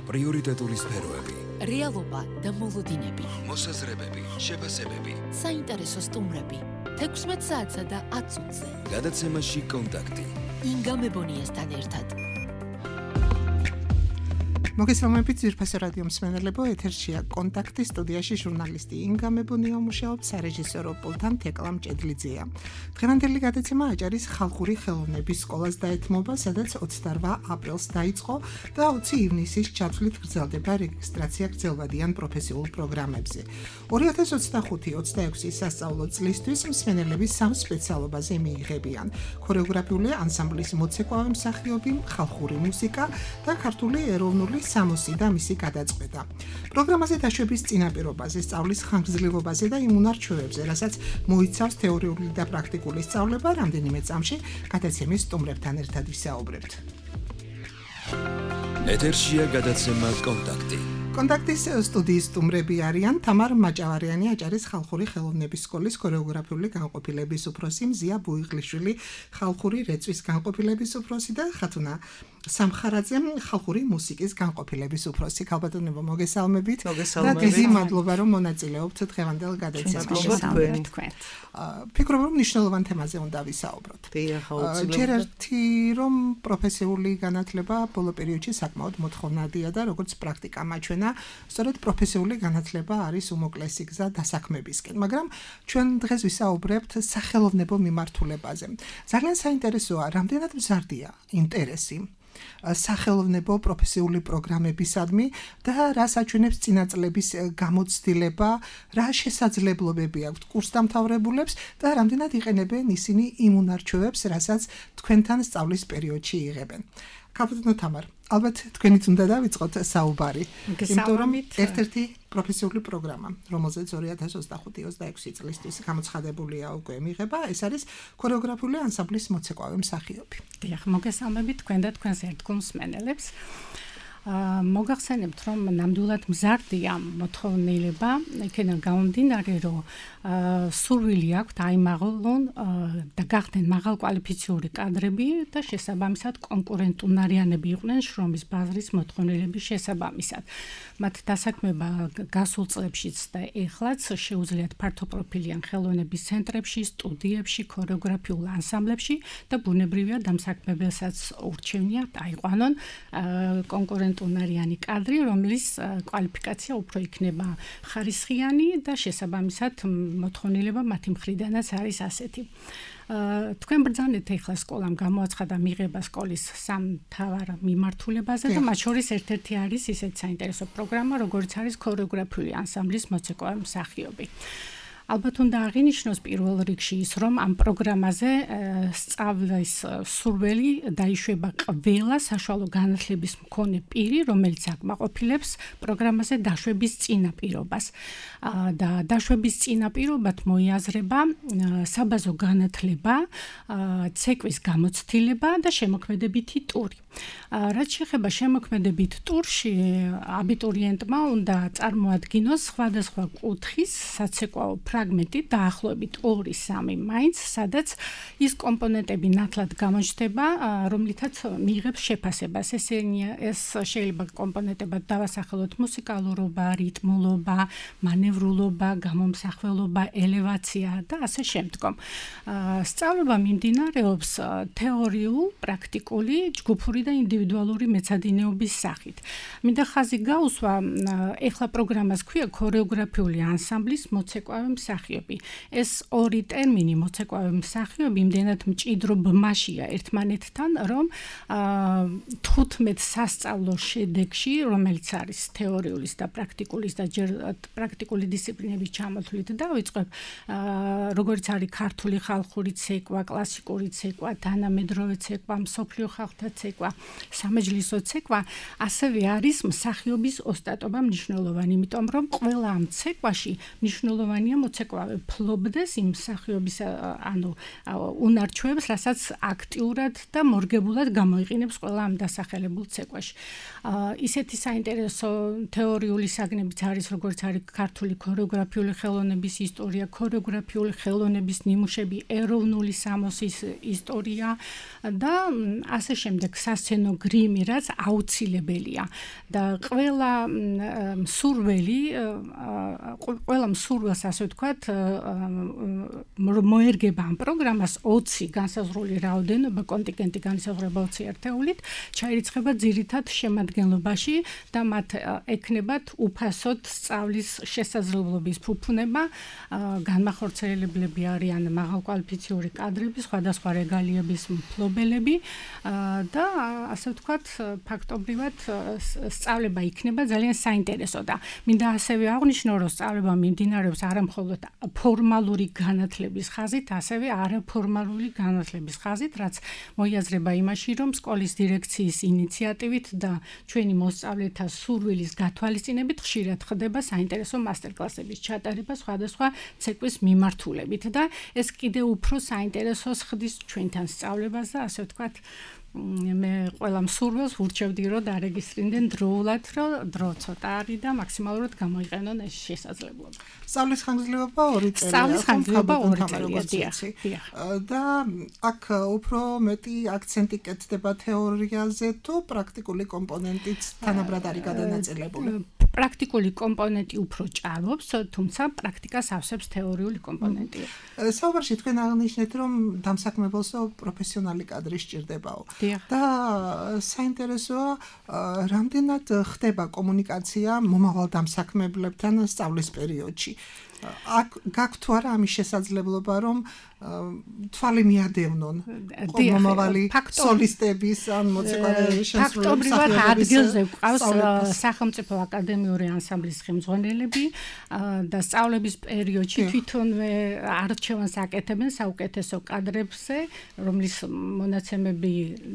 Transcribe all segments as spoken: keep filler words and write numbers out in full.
პრიორიტეტული სფეროები, რეალობა და მოლოდინები, მოსაზრებები, შეფასებები, საინტერესო სტუმრები, თექვსმეტ საათსა და ათ წუთზე. გადაცემაში კონტაქტი. ინგა მებონიასთან ერთად. მოგესალმებით ძვირფასო რადიო მსმენელებო, ეთერშია კონტაქტი, სტუდიაში ჟურნალისტი ინგა მებონია მუშაობს, სარეჟისორო პულტთან თეკლა მჭედლიძეა. დღევანდელი გადაცემა აჭარის ხალხური ხელოვნების სკოლას დაეთმობა, სადაც ოცდაორ აპრილს დაიწყო და ოცი ივნისის ჩათვლით გრძელდება რეგისტრაცია გრძელვადიან პროფესიულ პროგრამებზე. ორი ათას ოცდახუთი ოცდაექვსი სასწავლო წლისთვის მსმენელები სამ სპეციალობაზე მიიღებიან: ქორეოგრაფიული ანსამბლის მოცეკვავე მსახიობი, ხალხური მუსიკა და ქართული ეროვნული სამოსი და მისი გადაწყვეტა. პროგრამაზე დაშვების წინაპირობაზე, სწავლის ხანგრძლივობაზე და იმ უნარჩვევებზე, რასაც მოიცავს თეორიული და პრაქტიკული სწავლება, რამდენიმე წამში გადაცემის სტუმრებთან ერთად ვისაუბრებთ. ეთერშია გადაცემა კონტაქტი. კონტაქტის სტუდიის სტუმრები არიან თამარ მაჭავარიანი, აჭარის ხალხური ხელოვნების სკოლის ქორეოგრაფიული განყოფილების უფროსი, მზია ბუიღლიშვილი, ხალხური რეწვის განყოფილების უფროსი და ხათუნა სამხარაძე, ხალხური მუსიკის განყოფილების უფროსი. ქალბატონებო, მოგესალმებით და დიდი მადლობა, რომ მონაწილეობთ დღევანდელ გადაცემაში. ფიქრობ, რომ მნიშვნელოვან თემაზე უნდა ვისაუბროთ. ჯერ ერთი, რომ პროფესიული განათლება ბოლო პერიოდში საკმაოდ მოთხოვნადია და როგორც პრაქტიკა მაჩვენა, სწორედ პროფესიული განათლება არის უმოკლესი გზა დასაქმებისკენ, მაგრამ ჩვენ დღეს ვისაუბრებთ სახელოვნებო მიმართულებაზე. ძალიან საინტერესოა, რამდენად მზარდია ინტერესი სახელოვნებო პროფესიული პროგრამებისადმი და რას აჩვენებს წინაწლების გამოცდილება, რა შესაძლებლობები აქვთ კურსდამთავრებულებს და რამდენად იყენებენ ისინი იმ უნარჩვევებს, რასაც თქვენთან სწავლის პერიოდში იღებენ. ქალბატონო თამარ, ალბათ თქვენით უნდა დავიწყოთ საუბარი, იმიტომ რომ ერთ-ერთი პროფესიული პროგრამა, რომელზეც ორი ათას ოცდახუთი ოცდაექვსი წლისთვის გამოცხადებულია უკვე მიღება, ეს არის ქორეოგრაფიული ანსამბლის მოცეკვავე მსახიობი. დიახ, მოგესალმებით თქვენ და თქვენს ერთგულ მსმენელებს. მოგახსენებთ, რომ ნამდვილად მზარდია მოთხოვნილება, იქიდან გამომდინარე, რომ სურვილი აქვთ აიმაღლონ და გახდნენ მაღალკვალიფიციური კადრები და შესაბამისად კონკურენტუნარიანები იყვნენ შრომის ბაზრის მოთხოვნილების შესაბამისად. მათ დასაქმება გასულ წლებშიც და ეხლაც შეუძლიათ ფართოპროფილიან ხელოვნების ცენტრებში, სტუდიებში, ქორეოგრაფიულ ანსამბლებში და ბუნებრივია დამსაქმებელსაც ურჩევნიათ აიყვანონ კონკურენტუნარიანი კადრი, რომლის კვალიფიკაცია უფრო იქნება ხარისხიანი და შესაბამისად მოთხოვნილება მათი მხრიდანაც არის ასეთი. თქვენ ბრძანეთ ახლა სკოლამ გამოაცხადა მიღება სკოლის სამ მთავარ მიმართულებაზე და მათ შორის ერთ-ერთი არის ისეთ საინტერესო პროგრამა, როგორც არის ქორეოგრაფიული ანსამბლის მოცეკვავე მსახიობი. ალბათ უნდა აღინიშნოს პირველ რიგში ის, რომ ამ პროგრამაზე სწავლის სურვილი დაიშვება ყველა საშუალო განათლების მქონე პირი, რომელიც აკმაყოფილებს პროგრამაზე დაშვების წინაპირობას. და დაშვების წინაპირობად მოიაზრება საბაზო განათლება, ცეკვის გამოცდილება და შემოქმედებითი ტური. რაც შეეხება შემოქმედებით ტურში, აბიტურიენტმა უნდა წარმოადგინოს სხვადასხვა კუთხის საცეკვაო ფრაგმენტი დაახლოებით ორი სამი მაინც, სადაც ის კომპონენტები ნათლად გამოჩნდება, რომლითაც მიიღებს შეფასებას. ესენია, ეს შეიძლება კომპონენტებად დავასახელოთ მუსიკალურობა, რიტმულობა, მანევრულობა, გამომსახველობა, ელევაცია და ასე შემდგომ. სწავლება მიმდინარეობს თეორიულ, პრაქტიკული, ჯგუფური და ინდივიდუალური მეცადინეობის სახით. მინდა ხაზი გაუსვა, ეხლა პროგრამას ქვია ქორეოგრაფიული ანსამბლის მოცეკვავე მსახიობი. ეს ორი ტერმინი მოცეკვავე მსახიობი იმდენად მჭიდრო ბმაშია ერთმანეთთან, რომ თხუთმეტ სასწავლო შედეგში, რომელიც არის თეორიulis და პრაქტიკulis და ჯერ პრაქტიკული დისციპლინების ჩამოთვლით დავიწყებ, როგორც არის ქართული ხალხური ცეკვა, კლასიკური ცეკვა, თანამედროვე ცეკვა, მსოფლიო ხალხთა ცეკვა, სამეჯლისო ცეკვა, ასევე არის მსახიობის ოსტატობა მნიშვნელოვანი, იმიტომ რომ ყველა ამ ცეკვაში მნიშვნელოვანია მოცეკვავე ფლობდეს იმ მსახიობის ანუ უნარჩვევებს, რასაც აქტიურად და მორგებულად გამოიყენებს ყველა ამ დასახელებულ ცეკვაში. ისეთი საინტერესო თეორიული საგნებიც არის, როგორც არის ქართული ქორეოგრაფიული ხელოვნების ისტორია, ქორეოგრაფიული ხელოვნების ნიმუშები, ეროვნული სამოსის ისტორია და ასე შემდეგ სასცენო გრიმი, რაც აუცილებელია და ყველა მსურველი ყველა მსურველს ასე ვთქვათ მოერგება ამ პროგრამას ოცი განსაზღვრული რაოდენობა კონტინგენტი განსაზღვრება ოცი ერთეულით ჩაირიცხება ძირითად შემადგენლობაში და მათ ექნებათ უფასოდ სწავლის შესაძლებლობის ფუფუნება განმახორციელებლები არიან მაღალკვალიფიციური კადრები სხვადასხვა რეგალიების მფლობელები და ასე ვთქვათ ფაქტობრივად სწავლება იქნება ძალიან საინტერესო და მინდა ასევე აღვნიშნო რომ სწავლება მიმდინარეობს არა მხოლოდ ფორმალური განათლების ხაზით, ასევე არაფორმალური განათლების ხაზით, რაც მოიაზრება იმაში, რომ სკოლის დირექციის ინიციატივით და ჩვენი მოსწავლეთა სურვილის გათვალისწინებით ხშირად ხდება საინტერესო მასტერკლასების ჩატარება სხვადასხვა ცეკვის მიმართულებით და ეს კიდევ უფრო საინტერესოს ხდის ჩვენთან სწავლებას და ასე ვთქვათ მე ყველა მსურველს ვურჩევდი რომ დარეგისტრირდნენ დროულად, რომ დრო ცოტა არის და მაქსიმალურად გამოიყენონ ეს შესაძლებლობა. სწავლის ხანგრძლივობა ორი წელია. სწავლის ხანგრძლივობა ორი წელია. და აქ უფრო მეტი აქცენტი კეთდება თეორიაზე თუ პრაქტიკული კომპონენტიც თანაბრად არის გადანაწილებული? პრაქტიკული კომპონენტი უფრო ჭარბობს, თუმცა პრაქტიკას ავსებს თეორიული კომპონენტი. საუბარში თქვენ აღნიშნეთ, რომ დამსაქმებელსო პროფესიონალი კადრი სჭირდებაო. და საინტერესოა, რამდენად ხდება კომუნიკაცია მომავალ დამსაქმებლებთან სწავლის პერიოდში. აქ გაქვთ თუ არა ამის შესაძლებლობა, რომ თვალი მიადევნონ მომავალი სოლისტების ან მოცეკვავე შემსრულებლების ფაქტობრივად ადგილზე გვყავს სახელმწიფო აკადემიური ანსამბლის ხელმძღვანელები და სწავლების პერიოდში თვითონვე არჩევანს აკეთებენ საუკეთესო კადრებზე, რომლის მონაცემები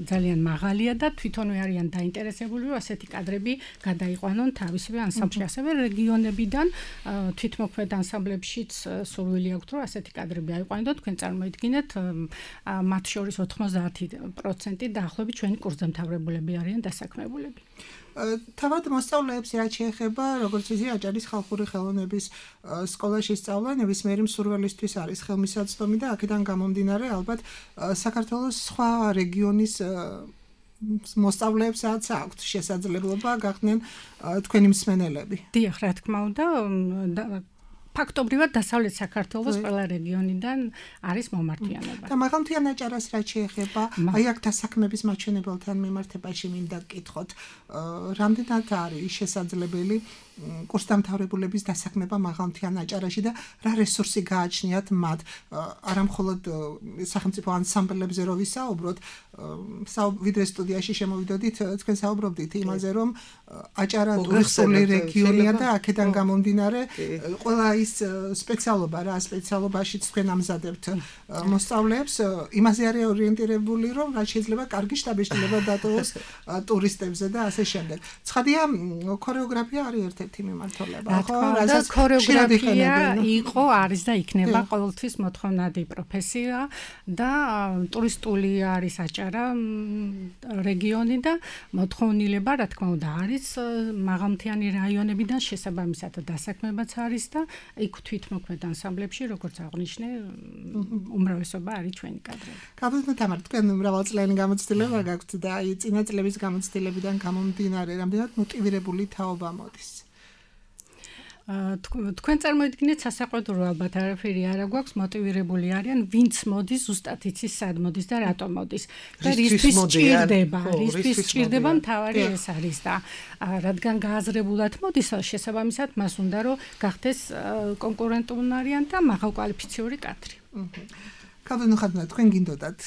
ძალიან მაღალია და თვითონვე არიან დაინტერესებული, რომ ასეთი კადრები გადაიყვანონ თავისივე ანსამბლში, ასევე რეგიონებიდან თვითმოქმედ ანსამბლებშიც სურვილი აქვთ, რომ ასეთი კადრები აიყვანონ. თქვენ წარმოიდგინეთ, მათ შორის ოთხმოცდაათი პროცენტი დაახლოებით ჩვენი კურსდამთავრებულები არიან დასაქმებულები. თავად მოსწავლეებს რაც შეეხება, როგორც ისი აჭარის ხალხური ხელოვნების სკოლაში სწავლა ნებისმიერი მსურველისთვის არის ხელმისაწვდომი და აქედან გამომდინარე ალბათ საქართველოს სხვა რეგიონის მოსწავლეებსაც აქვთ შესაძლებლობა გახდნენ თქვენი მსმენელები. დიახ, რა თქმა უნდა, ფაქტობრივად დასავლეთ საქართველოს ყველა რეგიონიდან არის მომართვიანება. და მაღალმთიან აჭარას რაც შეეხება, აი აქ დასაქმების მაჩვენებელთან მიმართებაში მინდა გკითხოთ, რამდენად არის შესაძლებელი კურსდამთავრებულების დასაქმება მაღალმთიან აჭარაში და რა რესურსი გააჩნიათ მათ, არა მხოლოდ სახელმწიფო ანსამბლებზე რო ვისაუბროთ, ვიდრე სტუდიაში შემოვიდოდით, თქვენ საუბრობდით იმაზე, რომ აჭარა ტურისტული რეგიონია და აქედან გამომდინარე ყველა ის სპეციალობა რა სპეციალობაშიც თქვენ ამზადებთ მოსწავლეებს, იმაზე არის ორიენტირებული, რომ რაც შეიძლება კარგი შტაბეშტილება დატოვოს ტურისტებზე და ასე შემდეგ. ცხადია, ქორეოგრაფია არის ერთ-ერთი მიმართულება, ხო? რასაც ქორეოგრაფია იყო, არის და იქნება ყოველთვის მოთხოვნადი პროფესია და ტურისტული არის აჭარა რეგიონი და მოთხოვნილება, რა თქმა უნდა, არის მაღალმთიანი რაიონებიდან შესაბამისად დასაქმებაც არის და იქ თვითმოქმედ ანსამბლებში, როგორც აღნიშნე, უმრავლესობა არის ჩვენი კადრები. გაბრძანეთ თამარ, თქვენ მრავალწლიანი გამოცდილება გაქვთ და აი წინა წლების გამოცდილებიდან გამომდინარე, რამდენად მოტივირებული თაობა მოდის? თქვენ წარმოიდგინეთ სასაყვედურო ალბათ არაფერი არ გვაქვს, მოტივირებული არიან, ვინც მოდის, ზუსტად იცის სად მოდის და რატომ მოდის. და რისთვის სჭირდება, რისთვის სჭირდება მთავარი ეს არის და რადგან გააზრებულად მოდის, შესაბამისად მას უნდა რომ გახდეს კონკურენტუნარიან და მაღალკვალიფიციური კადრი. კაბინო ხადნა თქვენ გინდოდათ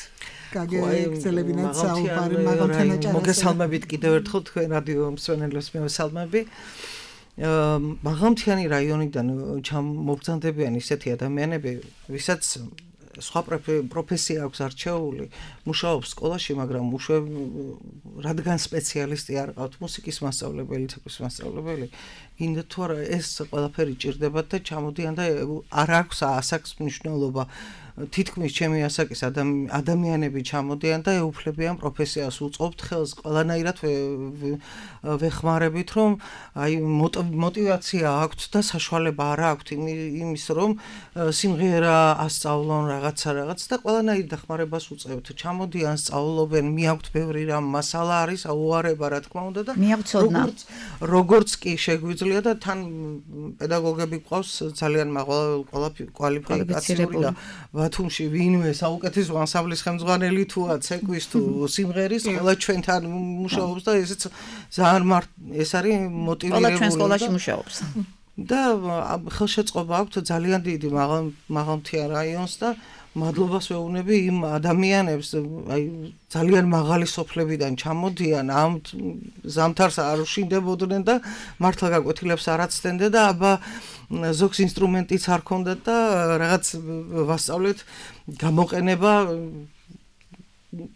გაგეგზელებინათ საუბარი მაღალმთიან აჭარაზე. მოგესალმებით კიდევ ერთხელ თქვენ რადიო მსმენელებს მევესალმები. მაღალმთიანი რაიონიდან ჩამოგზანდებიან ისეთი ადამიანები, ვისაც სხვა პროფესია აქვს არჩეული, მუშაობს სკოლაში, მაგრამ მუშაობ რადგან სპეციალისტი არ ყავთ, მუსიკის მასწავლებელი, ცეკვის მასწავლებელი, გინდა თუ არა ეს ყველაფერი ჭირდებათ და ჩამოდიან და არ აქვს ასაკს მნიშვნელობა. თითქმის ჩემი ასაკის ადამიანები ჩამოდიან და ეუფლებიან პროფესიას, უწყობთ ხელს, ყველანაირად ვეხმარებით, რომ აი мотивация აქვთ და საშუალება არ აქვთ იმის, რომ სიმღერა ასწავლონ რაღაცა რაღაც და ყველანაირ დახმარებას უწევთ. ჩამოდიან, სწავლობენ, მიაქვთ ბევრი რამ მასალა არის, აუარება რა თქმა უნდა და როგორც როგორც კი შეგვიძლია და თან პედაგოგები ყავს ძალიან მაღალი კვალიფიკაციური და ბათუმში ვინმე საუკეთესო ანსამბლის ხელმძღვანელი თუა ცეკვის თუ სიმღერის ყველა ჩვენთან მუშაობს და ესეც ძალიან ეს არის მოტივირებული ყველა ჩვენ სკოლაში მუშაობს და ხელშეწყობა აქვს ძალიან დიდი მაღალმთიან რაიონს და მადლობას ვეუბნები იმ ადამიანებს აი ძალიან მაღალი სოფლებიდან ჩამოდიან ამ ზამთარს არ უშინდებოდნენ და მართლა გაკვეთილებს არ აცდენდნენ და აბა ზოგს ინსტრუმენტიც არ ქონდათ და რაღაც ვასწავლეთ გამოყენება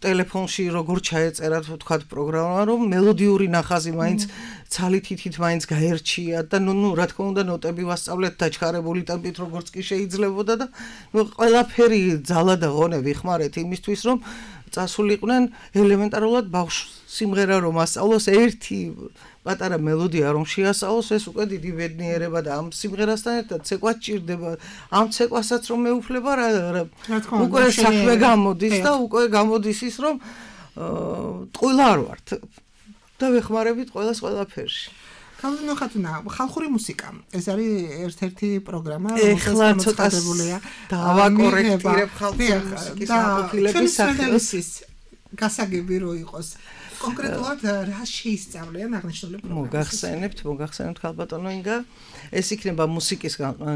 ტელეფონში როგორ ჩაეწერათ ვთქვათ პროგრამა რომ მელოდიური ნახაზი მაინც ცალი თითით მაინც გაერჩიათ და ნუ ნუ რა თქმა უნდა ნოტები ვასწავლეთ დაჩქარებული ტემპით როგორც კი შეიძლებოდა და ნუ ყველაფერი ძალა და ღონე ვიხმარეთ იმისთვის რომ წასულიყვნენ ელემენტარულად ბავშვს სიმღერა რომ ასწავლოს ერთი პატარა მელოდია რომ შეასწავლოს ეს უკვე დიდი ბედნიერება და ამ სიმღერასთან ერთად ცეკვაც ჭირდება ამ ცეკვასაც რომ მეუფლება რა უკვე საქმე გამოდის და უკვე გამოდის ის რომ ტყუილა არ ვართ და ვეხმარებით ყველას ყველაფერში კალვინო ხათუნა ხალხური მუსიკა ეს არის ერთ-ერთი პროგრამა ეხლა ცოტა დავაკორექტირებ ხალხური მუსიკის აპოფილების სახელს გასაგები რო იყოს კონკრეტულად რა შეისწავლიან აღნიშნული პროგრამა მოგახსენებთ მოგახსენებთ ხალბატონო ინგა ეს იქნება მუსიკის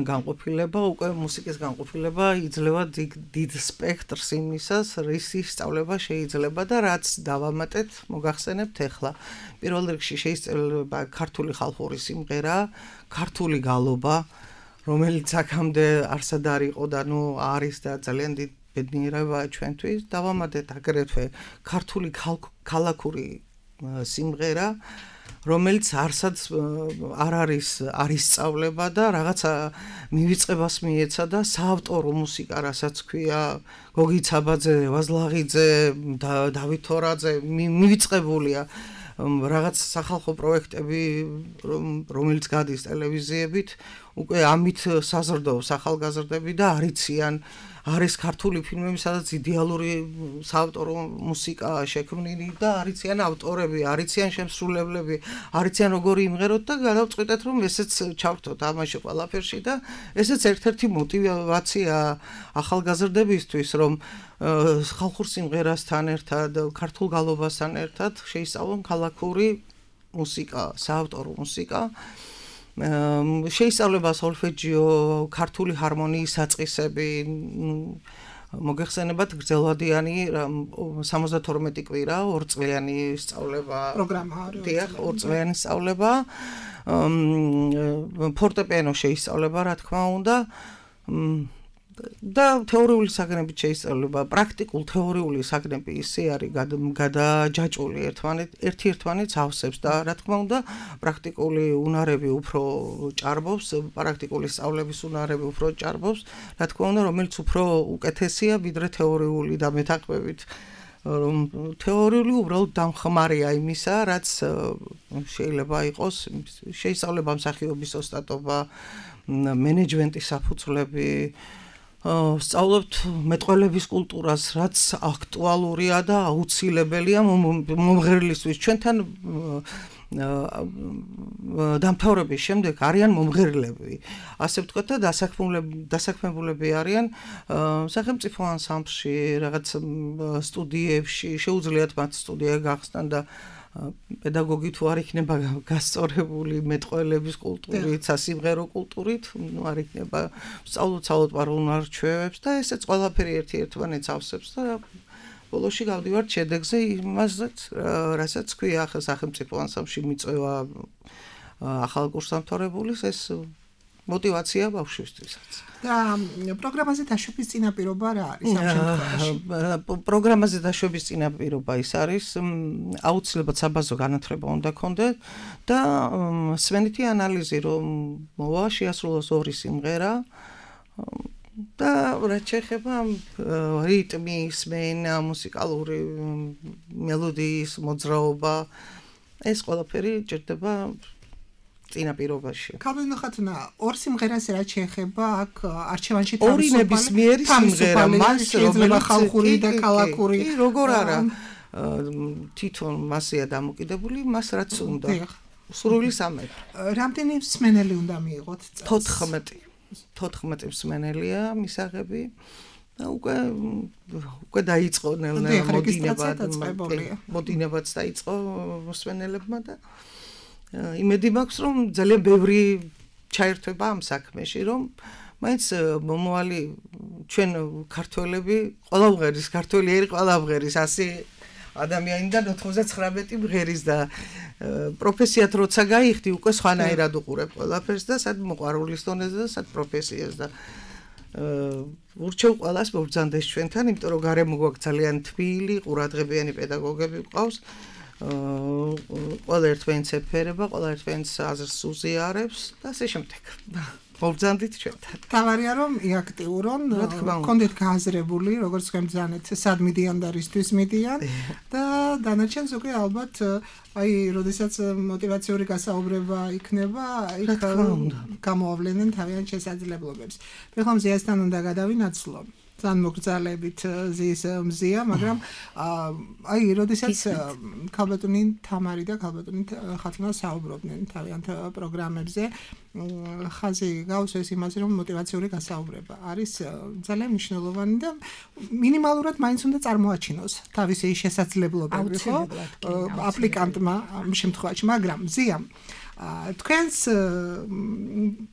განყოფილება უკვე მუსიკის განყოფილება იძლევა დიდ სპექტრს იმისას რისი სწავლება შეიძლება და რაც დავამატეთ მოგახსენებთ ეხლა პირველ რიგში შეისწავლება ქართული ხალხური სიმღერა ქართული გალობა რომელიც აქამდე არსად არ იყო და ნუ არის და ძალიან დიდ ბედნიერება ჩვენთვის დავამატეთ აგრეთვე ქართული ქალაქური სიმღერა რომელიც არსად არ არის არის სწავლება და რაღაცა მივიწყებას მიეცა და საავტორო მუსიკა რასაც ქვია გოგი ცაბაძე ვაზლაღიძე დავით თორაძე მივიწყებულია რაღაც სახალხო პროექტები რომელიც გადის ტელევიზიებით უკვე ამით საზრდოობს ახალგაზრდები და არიციან არის ქართული ფილმები სადაც იდეალური საავტორო მუსიკა შექმნილი და არიციან ავტორები არიციან შემსრულებლები არიციან როგორი იმღეროთ და გადავწყვიტეთ რომ ესეც ჩავთოთ ამაში ყველაფერში და ესეც ერთ-ერთი мотивация ახალგაზრდებისთვის რომ ხალხურ სიმღერასთან ერთად ქართულ გალობასთან ერთად შეისწავლონ ქალაქური მუსიკა საავტორო მუსიკა შეისწავლება სოლფეჯიო, ქართული ჰარმონიის საწყისები, მოგეხსენებათ გრძელვადიანი სამოცდათორმეტი კვირა, ორწლიანი სწავლება პროგრამა არის. დიახ, ორწლიანი სწავლება, ფორტეპიანო შეისწავლება, რა თქმა უნდა. და თეორიული საგნებით შეისწავლება პრაქტიკულ თეორიული საგნები ისე არის გადაჯაჭვული ერთმანეთ ერთ-ერთმანეთს ავსებს და რა თქმა უნდა პრაქტიკული უნარები უფრო ჭარბობს პრაქტიკული სწავლების უნარები უფრო ჭარბობს რა თქმა უნდა რომელიც უფრო უკეთესია ვიდრე თეორიული და მეთაყმებით რომ თეორიული უბრალოდ დამხმარეა იმისა რაც შეიძლება იყოს შეისწავლება მსახიობის ოსტატობა მენეჯმენტის საფუძვლები სწავლობთ მეტყველების კულტურას, რაც აქტუალურია და აუცილებელია მომღერლისთვის. ჩვენთან დამთავრების შემდეგ არიან მომღერლები. ასე ვთქვათ და დასაქმებულები არიან სახელმწიფო ანსამბლში, რაღაც სტუდიებში, შეუძლიათ მათ სტუდია გახსნან და პედაგოგი თუ არ იქნება გასწორებული მეტყველების კულტურით, სასიმღერო კულტურით, ნუ არ იქნება სწავლოთ პარალელურ ჩვევებს და ესეც ყველაფერი ერთ-ერთმანეთს ავსებს და ბოლოში გავდივართ შედეგზე იმასაც, რასაც ქვია ახლა სახელმწიფო ანსამბლში მიწვევა ახალ კურსდამთავრებულის ეს мотивация ბავშვისთვისაც. და პროგრამაზე დაშვების წინაპირობა რა არის ამ შემთხვევაში? პროგრამაზე დაშვების წინაპირობა ის არის, აუცილებლად საბაზო განათლება უნდა ქონდეთ და სვენითი ანალიზი რომ მოვა, შეასრულოს ორი სიმღერა და რაც შეეხება რიტმის, მენა, მუსიკალური მელოდიის მოძრაობა, ეს ყველაფერი ჭირდება წინაპირობაში. ქალბატონო ხათუნა, ორ სიმღერას რაც შეეხება აქ არჩევანში ორი ნებისმიერი სიმღერა, მას რომელიც ხალხური და ქალაქური. კი, როგორ არა, თვითონ მასეა დამოკიდებული, მას რაც უნდა. სრული სამეფო. რამდენი მსმენელი უნდა მიიღოთ წელს? თოთხმეტი. თოთხმეტი მსმენელია მისაღები. და უკვე უკვე დაიწყო ნელ-ნელა მოდინება. მოდინებაც დაიწყო მსმენელებმა და იმედი მაქვს რომ ძალიან ბევრი ჩაერთვება ამ საქმეში რომ მაინც მომავალი ჩვენ ქართველები ყველა ვღერის ქართველი ერი ყველა ვღერის ასი ადამიანიდან ოთხმოცდათხრამეტი ვღერის და პროფესიად როცა გაიხდი უკვე სხვანაირად უყურებ ყველაფერს და სად მოყვარულის დონეზე და სად პროფესიას და ურჩევ ყველას მობრძანდეს ჩვენთან იმიტომ რომ გარემო გვაქვს ძალიან თბილი ყურადღებიანი პედაგოგები გვყავს ყველა ერთვენს ეფერება, ყველა ერთვენს აზრს უზიარებს და ასე შემდეგ. მობრძანდით ჩვენთან. თავარია რომ იაქტიურონ, კონდეთ გააზრებული, როგორც თქვენ ბრძანეთ, სად მიდიან და რისთვის მიდიან და დანარჩენს უკვე ალბათ აი, როდესაც мотиваციური გასაუბრება იქნება, იქ გამოავლენენ თავიანთ შესაძლებლობებს. ეხლა მზიასთან უნდა გადავინაცვლო. თან მოგზალებით ზის მზია, მაგრამ აი, როდესაც ქალბატონი თამარი და ქალბატონი ხათუნა საუბრობდნენ თავიანთ პროგრამებზე, ხაზი გავს ეს იმაზე, რომ мотиваციური გასაუბრება არის ძალიან მნიშვნელოვანი და მინიმალურად მაინც უნდა წარმოაჩინოს თავისი შესაძლებლობები, ხო? აპლიკანტმა ამ შემთხვევაში, მაგრამ მზია თქვენს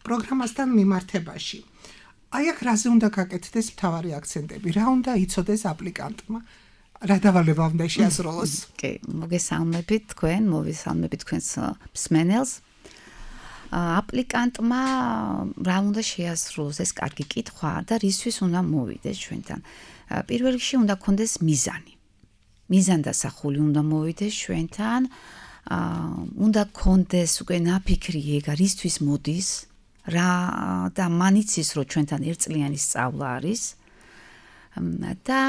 პროგრამასთან მიმართებაში აი აქ რაზე უნდა გაკეთდეს მთავარი აქცენტები? რა უნდა იცოდეს აპლიკანტმა? რა დავალება უნდა შეასრულოს? კი, მოგესალმებით თქვენ, მოვესალმებით თქვენს მსმენელს. აპლიკანტმა რა უნდა შეასრულოს? ეს კარგი კითხვა და რისთვის უნდა მოვიდეს ჩვენთან? პირველ რიგში უნდა გქონდეს მიზანი. მიზანდასახული უნდა მოვიდეს ჩვენთან. უნდა გქონდეს უკვე ნაფიქრი ეგ რისთვის მოდის? რა და მანიცის რომ ჩვენთან ერთწლიანი სწავლა არის და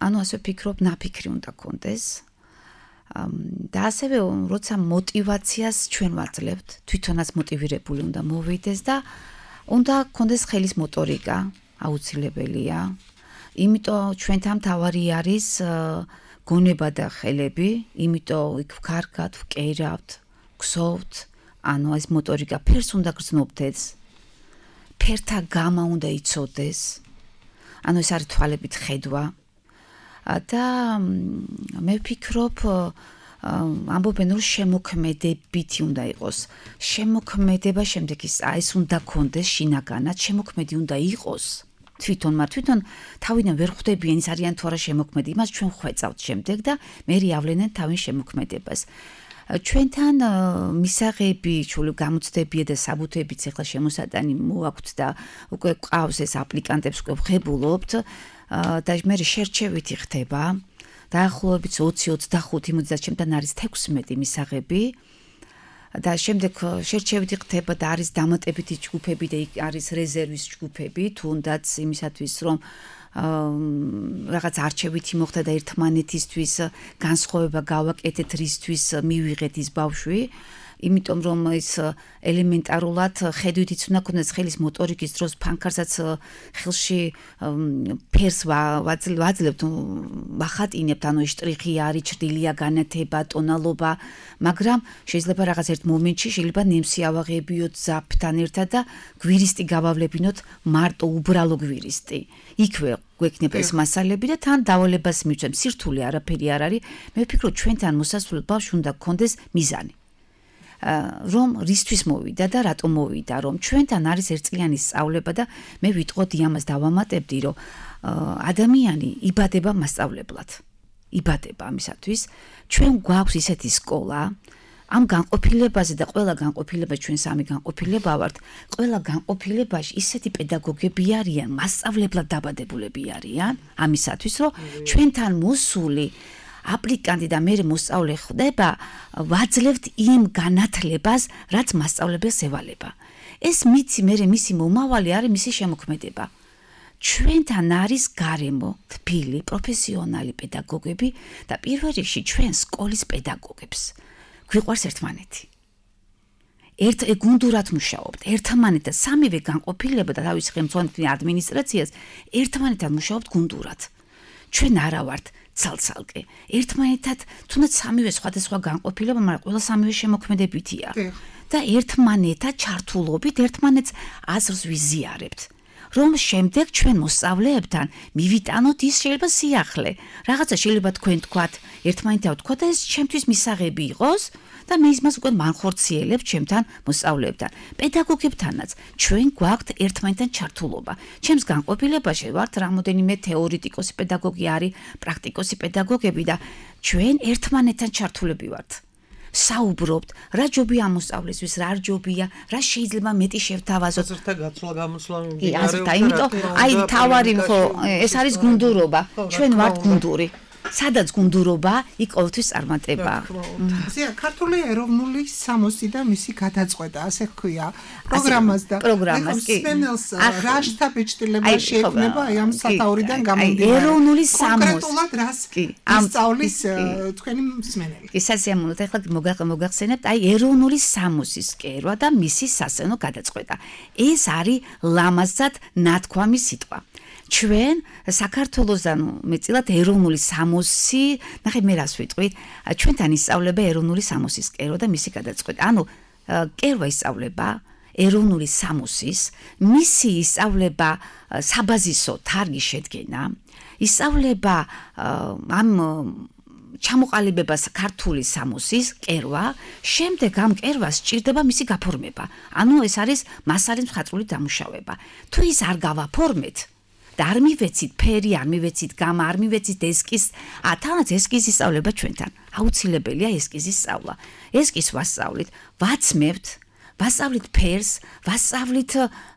ანუ ასე ვფიქრობ ნაფიქრი უნდა გქონდეს და ასევე როცა мотиваციას ჩვენ ვაძლევთ თვითონაც მოტივირებული უნდა მოვიდეს და უნდა გქონდეს ხელის მოტორიკა აუცილებელია იმიტომ ჩვენთან თავარი არის გონება და ხელები იმიტომ იქ ვქარგავთ ვკერავთ გსოვთ ანუ ეს მოტორიკა ფერს უნდა გრძნობდეს, ფერთა გამა უნდა იცოდეს, ანუ ეს არის თვალებით ხედვა და მე ვფიქრობ ამბობენ რომ შემოქმედებითი უნდა იყოს. შემოქმედება შემდეგ ის ეს უნდა გქონდეს შინაგანად, შემოქმედი უნდა იყოს. თვითონ მარ თვითონ თავიდან ვერ ხვდებიან ის არიან თუ არა შემოქმედი, იმას ჩვენ ხვეწავთ შემდეგ და მე ავლენენ თავის შემოქმედებას. ჩვენთან მისაღები, ჩული გამოცდებია და საბუთებიც ახლა შემოსატანი მოაქვთ და უკვე ყავს ეს აპლიკანტებს უკვე ვხებულობთ და მე შერჩევითი ხდება. დაახლოებით ოცი ოცდახუთი იმოდაც ჩემთან არის თექვსმეტი მისაღები და შემდეგ შერჩევითი ხდება და არის დამატებითი ჯგუფები და იქ არის რეზერვის ჯგუფები, თუნდაც იმისათვის რომ რაღაც არჩევითი მოხდა და ერთმანეთისთვის განსხვავება გავაკეთეთ რისთვის მივიღეთ ის ბავშვი იმიტომ რომ ეს ელემენტარულად ხედვითიც უნდა ქონდეს ხელის მოტორიკის დროს ფანქარსაც ხელში ფერს ვაძლევთ ვახატინებთ ანუ შტრიხი არის ჭრილია განათება ტონალობა მაგრამ შეიძლება რაღაც ერთ მომენტში შეიძლება ნემსი ავაღებიოთ ზაფთან ერთად და გვირისტი გავავლებინოთ მარტო უბრალო გვირისტი იქვე გვექნება ეს მასალები და თან დავალებას მივცემ სირთულე არაფერი არ არის მე ვფიქრობ ჩვენთან მოსასვლელ ბავშვს უნდა გქონდეს მიზანი რომ რისთვის მოვიდა და რატომ მოვიდა რომ ჩვენთან არის ერთწლიანი სწავლება და მე ვიტყოდი ამას დავამატებდი რომ ადამიანი იბადება მასწავლებლად იბადება ამისათვის ჩვენ გვაქვს ისეთი სკოლა ამ განყოფილებაზე და ყველა განყოფილება ჩვენ სამი განყოფილება ვართ, ყველა განყოფილებაში ისეთი პედაგოგები არიან, მასწავლებლად დაბადებულები არიან, ამისათვის რომ ჩვენთან მოსული აპლიკანტი და მე მოსწავლე ხდება, ვაძლევთ იმ განათლებას, რაც მასწავლებელს ევალება. ეს მიცი მე მისი მომავალი არის მისი შემოქმედება. ჩვენთან არის გარემო, თბილი, პროფესიონალი პედაგოგები და პირველ რიგში ჩვენ სკოლის პედაგოგებს. გვიყვარს ერთმანეთი. ერთ გუნდურად მუშაობთ, ერთმანეთთან სამივე განყოფილება და თავის ხელმძღვანელი ადმინისტრაციას ერთმანეთთან მუშაობთ გუნდურად. ჩვენ არა ვართ ცალ-ცალკე. ერთმანეთად თუნდაც სამივე სხვადასხვა განყოფილება, მაგრამ ყველა სამივე შემოქმედებითია. და ერთმანეთად ჩართულობით ერთმანეთს აზრს ვიზიარებთ. რომ შემდეგ ჩვენ მოსწავლეებთან მივიტანოთ ის შეიძლება სიახლე. რაღაცა შეიძლება თქვენ თქვათ, ერთმანეთთან თქვათ და ეს ჩემთვის მისაღები იყოს და მე იმას უკვე მანხორციელებ ჩემთან მოსწავლეებთან. პედაგოგებთანაც ჩვენ გვაქვთ ერთმანეთთან ჩართულობა. ჩემს განყოფილებაში ვართ რამოდენიმე თეორეტიკოსი პედაგოგი არის, პრაქტიკოსი პედაგოგები და ჩვენ ერთმანეთთან ჩართულები ვართ. საუბრობთ, რა ჯობია ამ მოსწავლესთვის, რა ჯობია, რა შეიძლება მეტი შევთავაზოთ. აზრთა გაცვლა გამოსვლა მიმდინარეობს. აი, იმიტომ აი თავარი ხო, ეს არის გუნდურობა. ჩვენ ვართ გუნდური. სადაც გუნდურობა, იქ ყოველთვის წარმატება. ზია, ქართული ეროვნული სამოსი და მისი გადაწყვეტა, ასე ჰქვია, პროგრამას და პროგრამას კი. რა შთაბეჭდილება შეექმნება აი ამ სათაურიდან გამომდინარე. ეროვნული სამოსი. კონკრეტულად რას ისწავლის თქვენი მსმენელი. კი, სასიამოვნოა, ეხლა მოგახსენებთ, აი ეროვნული სამოსის კერვა და მისი სასცენო გადაწყვეტა. ეს არის ლამაზად ნათქვამი სიტყვა. ჩვენ საქართველოსთან მეწილად ეროვნული სამოსი, ნახე მე რას ვიტყვით, ჩვენთან ისწავლება ეროვნული სამოსის კერვა და მისი გადაწყვეტა. ანუ კერვა ისწავლება ეროვნული სამოსის, მისი ისწავლება საბაზისო თარგის შედგენა, ისწავლება ამ ჩამოყალიბებას ქართული სამოსის კერვა, შემდეგ ამ კერვას სჭირდება მისი გაფორმება. ანუ ეს არის მასალის მხატვრული დამუშავება. თუ ის არ გავაფორმეთ და არ მივეცით ფერი, არ მივეცით გამა, არ მივეცით ესკიზ, ა თანაც ესკიზის სწავლება ჩვენთან. აუცილებელია ესკიზის სწავლა. ესკიზს ვასწავლით, ვაცმევთ, ვასწავლით ფერს, ვასწავლით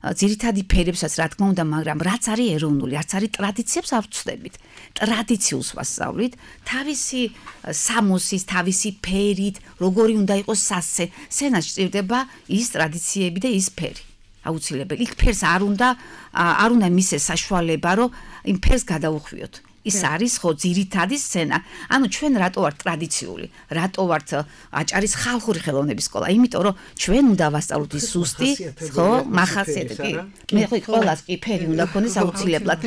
ძირითადი ფერებსაც, რა თქმა უნდა, მაგრამ რაც არის ეროვნული, რაც არის ტრადიციებს არ ვცდებით. ტრადიციულს ვასწავლით, თავისი სამოსის, თავისი ფერით, როგორი უნდა იყოს სასცე, სცენას სჭირდება ის ტრადიციები და ის ფერი. აუცილებელი. იქ ფერს არ უნდა არ უნდა მისცეს საშუალება, რომ იმ ფერს გადაუხვიოთ. ის არის ხო ძირითადი სცენა. ანუ ჩვენ რატო ვართ ტრადიციული? რატო ვართ აჭარის ხალხური ხელოვნების სკოლა? იმიტომ რომ ჩვენ უნდა ვასწავლოთ ის ზუსტი, ხო, მახასიათებელი. მე ხო ყველას კი ფერი უნდა ქონდეს აუცილებლად.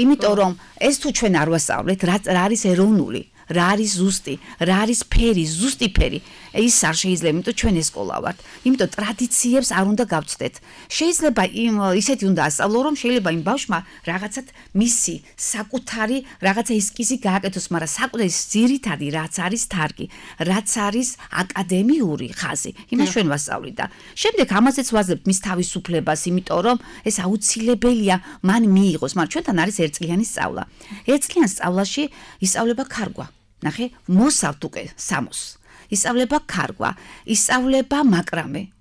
იმიტომ რომ ეს თუ ჩვენ არ ვასწავლეთ, რა არის ეროვნული? რა არის ზუსტი, რა არის ფერი, ზუსტი ფერი. ის არ შეიძლება, იმიტომ ჩვენ ეს სკოლა ვართ. იმიტომ ტრადიციებს არ უნდა გავცდეთ. შეიძლება იმ ისეთი უნდა ასწავლო, რომ შეიძლება იმ ბავშვმა რაღაცად მისი საკუთარი რაღაცა ესკიზი გააკეთოს, მაგრამ საკუთარი ძირითადი რაც არის თარგი, რაც არის აკადემიური ხაზი. იმას ჩვენ ვასწავლით და შემდეგ ამაზეც ვაძლევთ მის თავისუფლებას, იმიტომ რომ ეს აუცილებელია მან მიიღოს, მაგრამ ჩვენთან არის ერთწლიანი სწავლა. ერთწლიან სწავლაში ისწავლება ქარგვა. ნახე, მოსავთ უკვე სამოს. ისწავლება ქარგვა, ისწავლება მაკრამე.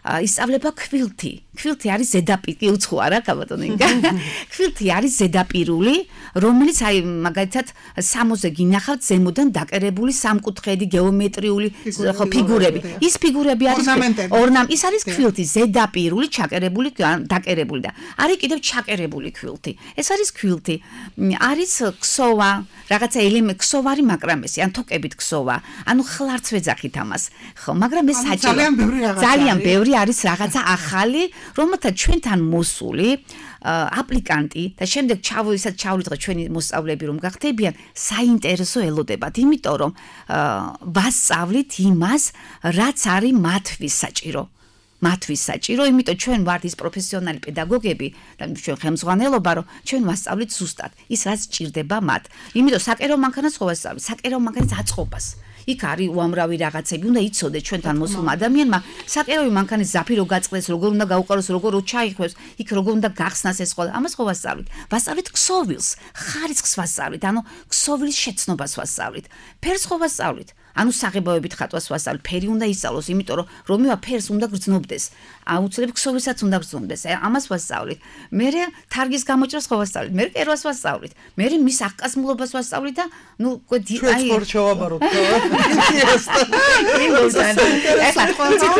ისწავლება ქვილთი. ქვილთი არის ზედაპირი, უცხოა რა, კაბატონო ინგა. ქვილთი არის ზედაპირული, რომელიც აი მაგალითად სამოზე გინახავთ ზემოდან დაკერებული სამკუთხედი გეომეტრიული ფიგურები. ის ფიგურები არის ორნამ, ის არის ქვილთი, ზედაპირული, ჩაკერებული, დაკერებული და არის კიდევ ჩაკერებული ქვილთი. ეს არის ქვილთი. არის ქსოვა, რაღაცა ელემენტი, ქსოვარი მაკრამესი, ან თოკებით ქსოვა. ანუ ხლარც ვეძახით ამას. ხო, მაგრამ ეს საჭირო. ძალიან ბევრი რაღაცა. ძალიან ბევრი არის რაღაცა ახალი, რომელთა ჩვენთან მოსული აპლიკანტი და შემდეგ ჩავისაც ჩავლით ჩვენი მოსწავლეები რომ გახდებიან, საინტერესო ელოდებათ, იმიტომ რომ ვასწავლით იმას, რაც არის მათთვის საჭირო. მათთვის საჭირო, იმიტომ ჩვენ ვართ ის პროფესიონალი პედაგოგები და ჩვენ ხელმძღვანელობა, რომ ჩვენ ვასწავლით ზუსტად ის, რაც სჭირდება მათ. იმიტომ საკერო მანქანას ხო ვასწავლით, საკერო მანქანის აწყობას. იქ არის უამრავი რაღაცები, უნდა იცოდეთ ჩვენთან მოსულმა ადამიანმა, საკერავი მანქანის ზაფი რო გაწყდეს, როგორ უნდა გაუყაროს, როგორ ჩაიხვევს, იქ როგორ უნდა გახსნას ეს ყველა. ამას ხო ვასწავლით? ვასწავლით ქსოვილს, ხარისხს ვასწავლით, ანუ ქსოვილის შეცნობას ვასწავლით. ფერს ხო ვასწავლით? ანუ საღებავებით ხატვას ვასწავლეთ, ფერი უნდა ისწავლოს, იმიტომ რომ რომევა ფერს უნდა გრძნობდეს. აუცილებლად ქსოვილსაც უნდა გრძნობდეს. ამას ვასწავლეთ. მერე თარგის გამოჭრას ხო ვასწავლეთ. მერე კერვას ვასწავლეთ. მერე მის აღკაზმულობას ვასწავლეთ და ნუ აი ჩვენ შევაბაროთ. ეხლა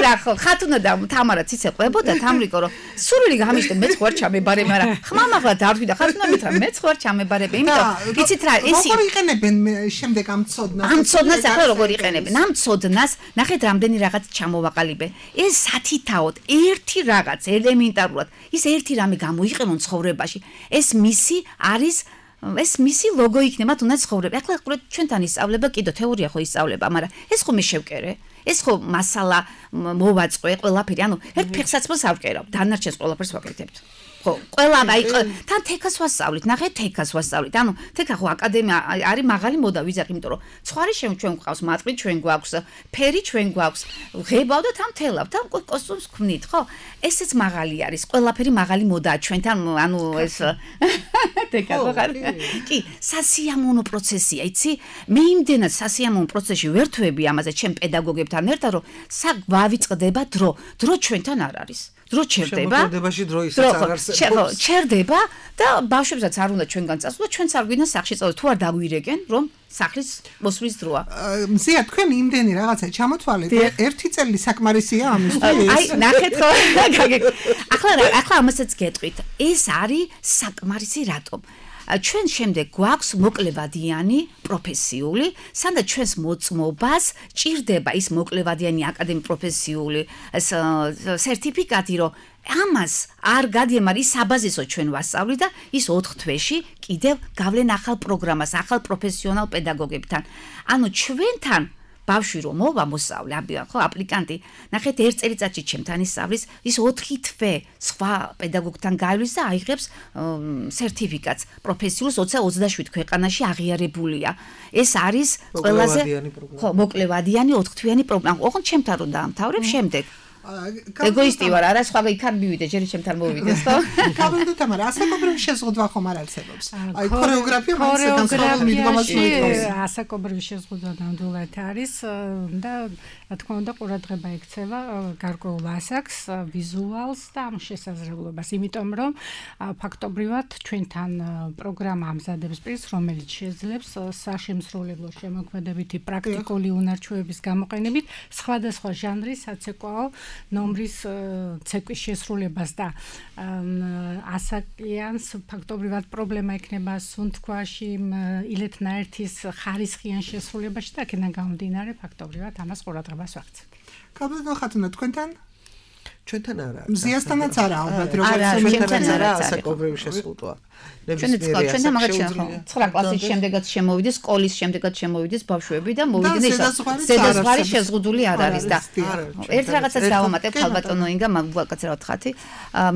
რა ხო ხათუნა და თამარა ციცე ყვებოდა თამრიკო რომ სურვილი გამიშდა მეც ხوار ჩამებარე, მაგრამ ხმამაღლა დარვი და ხათუნა მითხრა მეც ხوار ჩამებარები, იმიტომ იცით რა ეს როგორ იყენებენ შემდეგ ამ ცოდნას? ამ ცოდნას ახლა როგორ იყენებენ? ამ ცოდნას ნახეთ რამდენი რაღაც ჩამოვაყალიბე. ეს სათითაოდ ერთი რაღაც ელემენტარულად ის ერთი რამე გამოიყენონ ცხოვრებაში. ეს მისი არის ეს მისი ლოგო იქნება თუნდაც ცხოვრება. ახლა ყურეთ ჩვენთან ისწავლება, კიდო თეორია ხო ისწავლება, მაგრამ ეს ხო მე შევკერე. ეს ხო მასალა მოვაწყე ყველაფერი, ანუ ერთ ფეხსაცმელს ავკერავ, დანარჩენს ყველაფერს ვაკეთებთ. ხო, ყველა აი თან თეკას ვასწავლით, ნახეთ თეკას ვასწავლით. ანუ თეკა ხო აკადემია არის მაღალი მოდა ვიზახი, იმიტომ რომ ცხარი ჩვენ ჩვენ გვყავს, მატყლი ჩვენ გვაქვს, ფერი ჩვენ გვაქვს, ღებავ და თან თელავ, თან კოსტუმს ქმნით, ხო? ესეც მაღალი არის, ყველაფერი მაღალი მოდაა ჩვენთან, ანუ ეს თეკა ხო ხარ? კი, სასიამოვნო პროცესია, იცი? მე იმდენად სასიამოვნო პროცესში ვერთვები ამაზე ჩემ პედაგოგებთან ერთად, რომ საგ ვავიწყდება დრო, დრო ჩვენთან არ არის. დრო ჩერდება. შემოქმედებაში დრო ისაც არ არსებობს. ჩერდება და ბავშვებსაც არ უნდა ჩვენგან წასულა, ჩვენც არ გვინდა სახში წავიდეთ, თუ არ დაგვირეკენ, რომ სახლის მოსვლის დროა. მზია თქვენ იმდენი რაღაცა ჩამოთვალეთ, ერთი წელი საკმარისია ამისთვის. აი, ნახეთ ხო? ახლა ახლა ამასაც გეტყვით. ეს არის საკმარისი რატომ? ჩვენ შემდეგ გვაქვს მოკლევადიანი პროფესიული, სანდა ჩვენს მოწმობას ჭირდება ის მოკლევადიანი აკადემიური პროფესიული სერტიფიკატი, რომ ამას არ გადიემარ ის საბაზისო ჩვენ ვასწავლით და ის ოთხ თვეში კიდევ გავლენ ახალ პროგრამას, ახალ პროფესიონალ პედაგოგებთან. ანუ ჩვენთან ბავშვი რომ მოვა მოსავლე, ხო, აპლიკანტი, ნახეთ ერთ წელიწადში ჩემთან ისწავლის, ის ოთხი თვე სხვა პედაგოგთან გაივლის და აიღებს სერტიფიკატს. პროფესიულს ოცდა ოცდაშვიდ ქვეყანაში აღიარებულია. ეს არის ყველაზე ხო, მოკლევადიანი ოთხთვიანი პროგრამა. ოღონდ ჩემთან რომ დაამთავრებ შემდეგ. ეგოისტი ვარ, არა სხვა იქ არ მივიდე, ჯერ ჩემთან მოვიდეს, ხო? კაბინეტი თამარ, ასაკობრივი შეზღუდვა ხომ არ არსებობს. აი ქორეოგრაფია მასთან მიდგომას მოიწევს. ასაკობრივი შეზღუდვა ნამდვილად არის და რა თქმა უნდა ყურადღება ექცევა გარკვეულ ასაკს, ვიზუალს და ამ შესაძლებლობას, იმიტომ რომ ფაქტობრივად ჩვენთან პროგრამა ამზადებს პირს, რომელიც შეძლებს საშემსრულებლო შემოქმედებითი პრაქტიკული უნარჩვევების გამოყენებით სხვადასხვა ჟანრის საცეკვაო ნომრის ცეკვის შესრულებას და ასაკიანს ფაქტობრივად პრობლემა ექნება სუნთქვაში, ილეთნაერთის ხარისხიან შესრულებაში და აქედან გამომდინარე ფაქტობრივად ამას ყურადღებას ვაქცევთ. კაბინეტი ხათუნა თქვენთან? ჩვენთან არა. მზიასთანაც არა ალბათ, როგორც ჩვენთან არა ასაკობრივი შეზღუდვა. ნებისმიერი ჩვენ მაგათ ცხრა კლასის შემდეგაც შემოვიდეს, სკოლის შემდეგაც შემოვიდეს ბავშვები და მოვიდნენ ეს ზედაზღვარი შეზღუდული არ არის და ერთ რაღაცას დავამატებ ხალბატონო ინგა მაგაკაცრავად ხათი.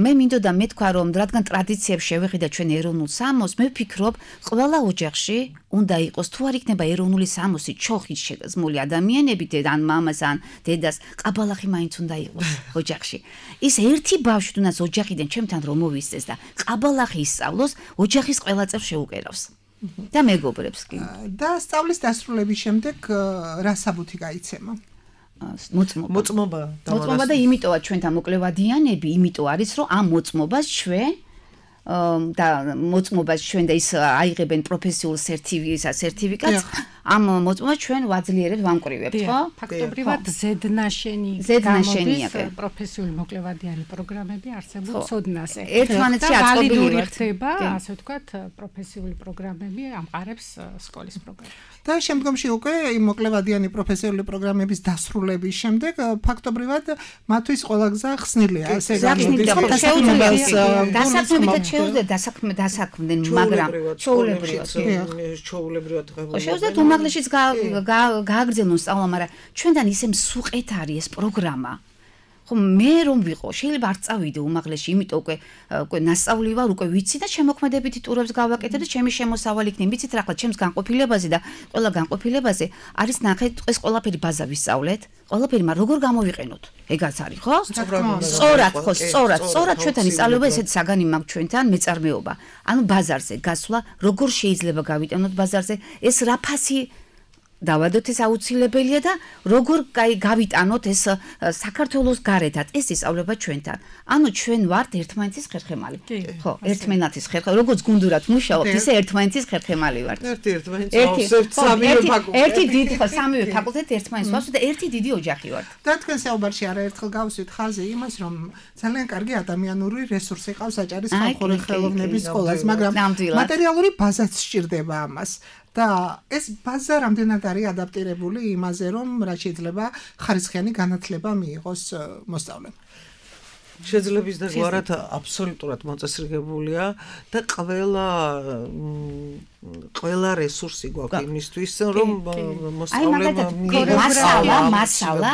მე მინდოდა მეთქვა რომ რადგან ტრადიციებს შევეყიდა ჩვენ ეროვნულ სამოს, მე ვფიქრობ ყველა ოჯახში უნდა იყოს თუ არ იქნება ეროვნული სამოსი ჩოხით შეგზმული ადამიანები ან მამას ან დედას ყაბალახი მაინც უნდა იყოს ოჯახში. ის ერთი ბავშვი თუნდაც ოჯახიდან ჩემთან რომ მოვისწეს და ყაბალახი ისწავლოს ოჯახის ყველა წევრს შეუკერავს და მეგობრებს კი. და სწავლის დასრულების შემდეგ რა საბუთი გაიცემა? მოწმობა. მოწმობა. მოწმობა და იმიტოა ჩვენთან მოკლევადიანები, იმიტომ არის რომ ამ მოწმობას ჩვენ და მოწმობას ჩვენ და ის აიღებენ პროფესიულ სერტიფიკატს. ამ მოწმობას ჩვენ ვაძლიერებთ, ვამკვრივებთ, ხო? ფაქტობრივად ზედნაშენი ზედნაშენია პროფესიული მოკლევადიანი პროგრამები არსებულ ცოდნაზე. ერთმანეთში აწყობილი ხდება, ასე ვთქვათ, პროფესიული პროგრამები ამყარებს სკოლის პროგრამას. და შემდგომში უკვე იმ მოკლევადიანი პროფესიული პროგრამების დასრულების შემდეგ ფაქტობრივად მათთვის ყველა გზა ხსნილია, ასე გამოდის. დასაქმებითაც შეუძლია დასაქმე დასაქმდნენ, მაგრამ ჩაულებრივად ჩაულებრივად ღებულობენ. შეუძლიათ უმაღლეშიც გააგრძელონ სწავლა, მაგრამ ჩვენთან ისე მსუყეთ არის ეს პროგრამა. ხო მე რომ ვიყო, შეიძლება არ წავიდე უმაღლეში, იმიტომ უკვე უკვე ნასწავლი ვარ, უკვე ვიცი და შემოქმედებითი ტურებს გავაკეთებ და ჩემი შემოსავალი იქნება. ვიცით რა, ახლა ჩემს განყოფილებაზე და ყველა განყოფილებაზე არის ნახეთ ეს ყველაფერი ბაზა ვისწავლეთ. ყველაფერი, მაგრამ როგორ გამოვიყენოთ? ეგაც არის, ხო? სწორად, ხო, სწორად, სწორად ჩვენთან ისწავლება ესეთი საგანი მაქვს ჩვენთან მეწარმეობა. ანუ ბაზარზე გასვლა, როგორ შეიძლება გავიტანოთ ბაზარზე, ეს რა ფასი დავადოთ ეს აუცილებელია და როგორ გავიტანოთ ეს საქართველოს გარეთაც ეს ისწავლება ჩვენთან. ანუ ჩვენ ვართ ერთმანეთის ხერხემალი. ხო, ერთმანეთის ხერხემალი. როგორც გუნდურად მუშაობთ, ისე ერთმანეთის ხერხემალი ვართ. ერთი ერთმანეთს ავსებთ სამივე ფაკულტეტი. ერთი დიდი ხო, სამივე ფაკულტეტი ერთმანეთს ვავსებთ და ერთი დიდი ოჯახი ვართ. და თქვენ საუბარში არაერთხელ გავუსვით ხაზი იმას, რომ ძალიან კარგი ადამიანური რესურსი ყავს აჭარის ხალხური ხელოვნების სკოლას, მაგრამ მატერიალური ბაზაც სჭირდება ამას. და ეს ბაზა რამდენად არის ადაპტირებული იმაზე, რომ რა შეიძლება ხარისხიანი განათლება მიიღოს მოსწავლემ. შეძლების და გვარად აბსოლუტურად მოწესრიგებულია და ყველა ყველა რესურსი გვაქვს იმისთვის, რომ მოსწავლემ მასალა, მასალა,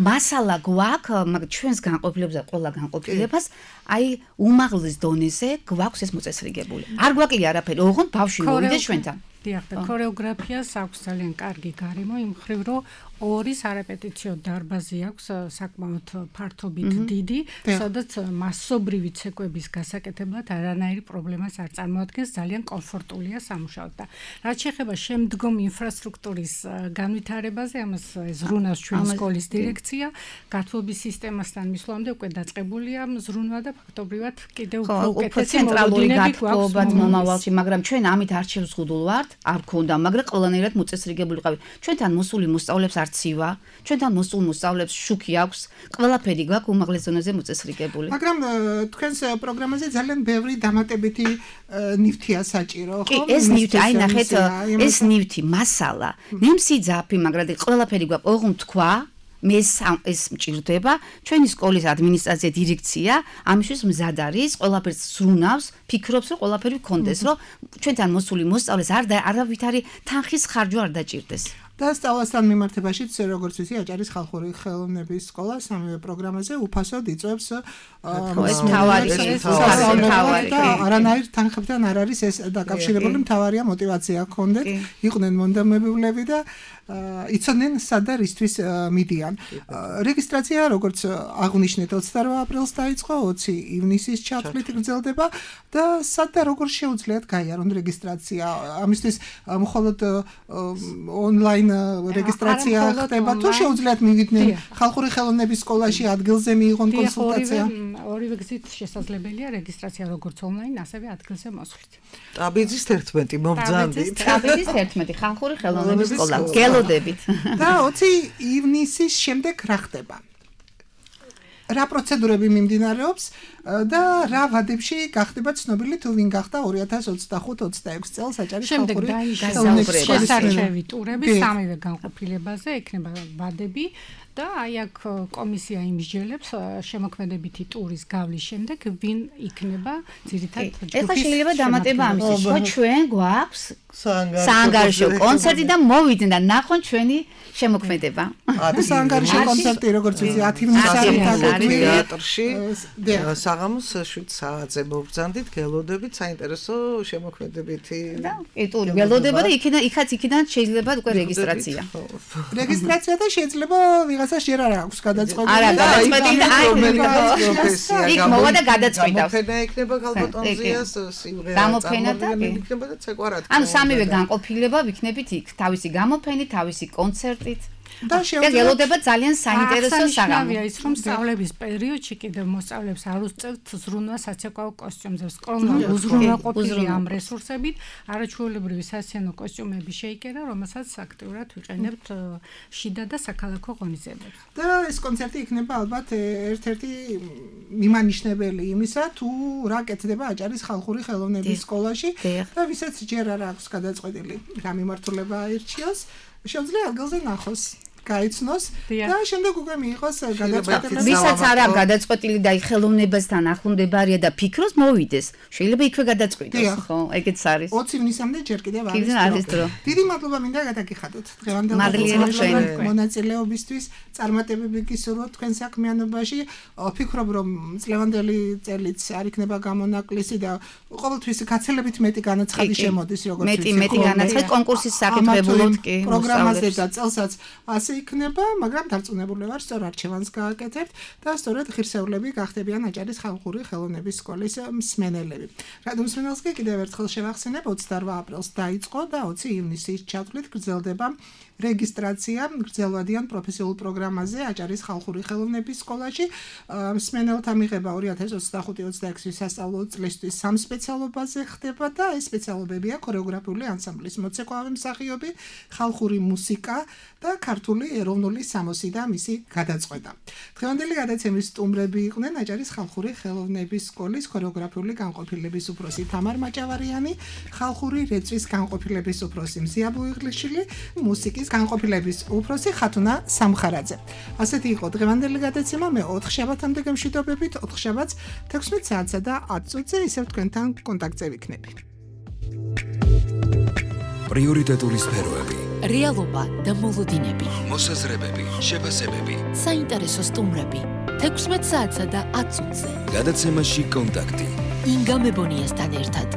მასალა გვაქვს ჩვენს განყოფილებას, ყველა განყოფილებას, აი უმაღლეს დონეზე გვაქვს ეს მოწესრიგებული. არ გვაკლია არაფერი, ოღონდ ბავშვი მოვიდეს ჩვენთან. დიახ, და ქორეოგრაფიას აქვს ძალიან კარგი გარემო, იმ მხრივ, რომ ორი სარეპეტიციო დარბაზი აქვს საკმაოდ ფართობით დიდი, სადაც მასობრივი ცეკვების გასაკეთებლად არანაირი პრობლემას არ წარმოადგენს, ძალიან კომფორტულია სამუშაოდ და რაც შეეხება შემდგომ ინფრასტრუქტურის განვითარებაზე, ამას ზრუნავს ჩვენი სკოლის დირექცია, გათბობის სისტემასთან მისვლამდე უკვე დაწყებულია ზრუნვა და ფაქტობრივად კიდევ უფრო უკეთესი ცენტრალური გათბობა მომავალში, მაგრამ ჩვენ ამით არჩევს ხუდულ ვართ, არ გქონდა, მაგრამ ყველანაირად მოწესრიგებული ყავით. ჩვენთან მოსული მოსწავლებს არცივა, ჩვენთან მოსულ მოსწავლებს შუქი აქვს, ყველაფერი გვაქვს უმაღლეს ზონაზე მოწესრიგებული. მაგრამ თქვენს პროგრამაზე ძალიან ბევრი დამატებითი ნივთია საჭირო, ხო? ეს ნივთი, აი ნახეთ, ეს ნივთი, მასალა, ნემსიძაფი, მაგრამ ყველაფერი გვაქვს, ოღონდ თქვა მე ეს მჭირდება ჩვენი სკოლის ადმინისტრაცია დირექცია ამისთვის მზად არის ყველაფერს ზრუნავს ფიქრობს რომ ყველაფერი გქონდეს რომ ჩვენთან მოსული მოსწავლეს არ არავითარი თანხის ხარჯვა არ დაჭირდეს და სწავლასთან მიმართებაშიც როგორც ვიცი აჭარის ხალხური ხელოვნების სკოლა სამივე პროგრამაზე უფასოდ იწვევს ეს თავარი თავარი და არანაირ თანხებთან არ არის ეს დაკავშირებული მთავარია мотиваცია გქონდეთ იყვნენ მონდომებულები და იცოდნენ სადა რისთვის მიდიან. რეგისტრაცია როგორც აღნიშნეთ ოცდაორი აპრილს დაიწყო, ოცი ივნისის ჩათვლით გრძელდება და სადა როგორ შეუძლიათ გაიარონ რეგისტრაცია. ამისთვის მხოლოდ ონლაინ რეგისტრაცია ხდება თუ შეუძლიათ მივიდნენ ხალხური ხელოვნების სკოლაში ადგილზე მიიღონ კონსულტაცია. ორივე გზით შესაძლებელია რეგისტრაცია როგორც ონლაინ, ასევე ადგილზე მოსვლით. ტრაპეზის ერთმეტი მობრძანდით. ტრაპეზის ერთმეტი ხალხური ხელოვნების სკოლა. გელოდებით. და ოცი ივნისის შემდეგ რა ხდება? რა პროცედურები მიმდინარეობს და რა ვადებში გახდება ცნობილი თუ ვინ გახდა ორი ათას ოცდახუთ ოცდაექვსი წელს აჭარის ხალხური ხელოვნების სკოლის შესარჩევი ტურები სამივე განყოფილებაზე ექნება ვადები და აი აქ კომისია იმსჯელებს შემოქმედებითი ტურის გავლის შემდეგ ვინ იქნება ძირითად ჯგუფის ეხლა შეიძლება დამატება ამის ხო ჩვენ გვაქვს საანგარიშო კონცერტი და მოვიდნენ და ნახონ ჩვენი შემოქმედება საანგარიშო კონცერტი როგორც ვიცი ათი ივნისს თეატრში საღამოს შვიდ საათზე მოვბრძანდით გელოდებით საინტერესო შემოქმედებითი და ტური გელოდება და იქიდან იქაც იქიდან შეიძლება უკვე რეგისტრაცია რეგისტრაცია და შეიძლება ვიღაცას ჯერ არ აქვს გადაწყვეტილი არა გადაწყვეტილი აი იქ მოვა და გადაწყვეტავს გამოფენა იქნება გალბატონზიას სიმღერა გამოფენა და იქნება და ცეკვარად ანუ სამივე განყოფილება ვიქნებით იქ თავისი გამოფენით თავისი კონცერტით და შეგელოდება ძალიან საინტერესო საღამო ის რომ სწავლების პერიოდში კიდევ მოსწავლებს არ უსწევთ ზრუნვა საცეკვაო კოსტიუმზე სკოლა უზრუნველყოფილი ამ რესურსებით არაჩვეულებრივი სასცენო კოსტიუმები შეიკერა რომელსაც აქტიურად ვიყენებთ შიდა და საქალაქო ღონისძიებებს და ეს კონცერტი იქნება ალბათ ერთ-ერთი მიმანიშნებელი იმისა თუ რა კეთდება აჭარის ხალხური ხელოვნების სკოლაში და ვისაც ჯერ არ აქვს გადაწყვეტილი რა მიმართულება აირჩიოს შეუძლია ადგილზე ნახოს გაიცნოს და შემდეგ უკვე მიიღოს გადაწყვეტილება. ვისაც არ აქვს გადაწყვეტილი და ხელოვნებასთან ახლომდებარია და ფიქრობს მოვიდეს. შეიძლება იქვე გადაწყვიტოს, ხო? ეგეც არის. ოცი ივნისამდე ჯერ კიდევ არის დრო. დიდი მადლობა მინდა გადაგიხადოთ. დღევანდელ მონაწილეობისთვის, წარმატებები გისურვოთ თქვენ საქმიანობაში. ვფიქრობ რომ წლევანდელი წელიც არ იქნება გამონაკლისი და ყოველთვის გაცილებით მეტი განაცხადი შემოდის როგორც ვიცი. მეტი მეტი განაცხადი კონკურსის საკითხებულით კი. პროგრამაზე და წელსაც ასე იქნება, მაგრამ დარწმუნებული ვარ, სწორ არჩევანს გააკეთებთ და სწორედ ღირსეულები გახდებიან აჭარის ხალხური ხელოვნების სკოლის მსმენელები. რადო მსმენელს კი კიდევ ერთხელ შევახსენებ, ოცდაორი აპრილს დაიწყო და ოცი ივნისის ჩათვლით გრძელდება რეგისტრაცია გრძელვადიან პროფესიულ პროგრამაზე აჭარის ხალხური ხელოვნების სკოლაში. მსმენელთა მიღება ორი ათას ოცდახუთი ოცდაექვსი სასწავლო წლისთვის სამ სპეციალობაზე ხდება და ეს სპეციალობებია ქორეოგრაფიული ანსამბლის მოცეკვავე მსახიობი, ხალხური მუსიკა და ქართული ეროვნული სამოსი და მისი გადაწყვეტა. დღევანდელი გადაცემის სტუმრები იყვნენ აჭარის ხალხური ხელოვნების სკოლის ქორეოგრაფიული განყოფილების უფროსი თამარ მაჭავარიანი, ხალხური რეწვის განყოფილების უფროსი მზია ბუიღლიშვილი, მუსიკის განყოფილების უფროსი ხათუნა სამხარაძე. ასეთი იყო დღევანდელი გადაცემა. მე ოთხ შაბათამდე გემშვიდობებით, ოთხ შაბათს თექვსმეტ საათსა და ათ წუთზე ისევ თქვენთან კონტაქტზე ვიქნები. პრიორიტეტული სფეროები, რეალობა და მოლოდინები, მოსაზრებები, შეფასებები. საინტერესო სტუმრები. თექვსმეტ საათსა და ათ წუთზე. გადაცემაში კონტაქტი. ინგა მებონიასთან ერთად.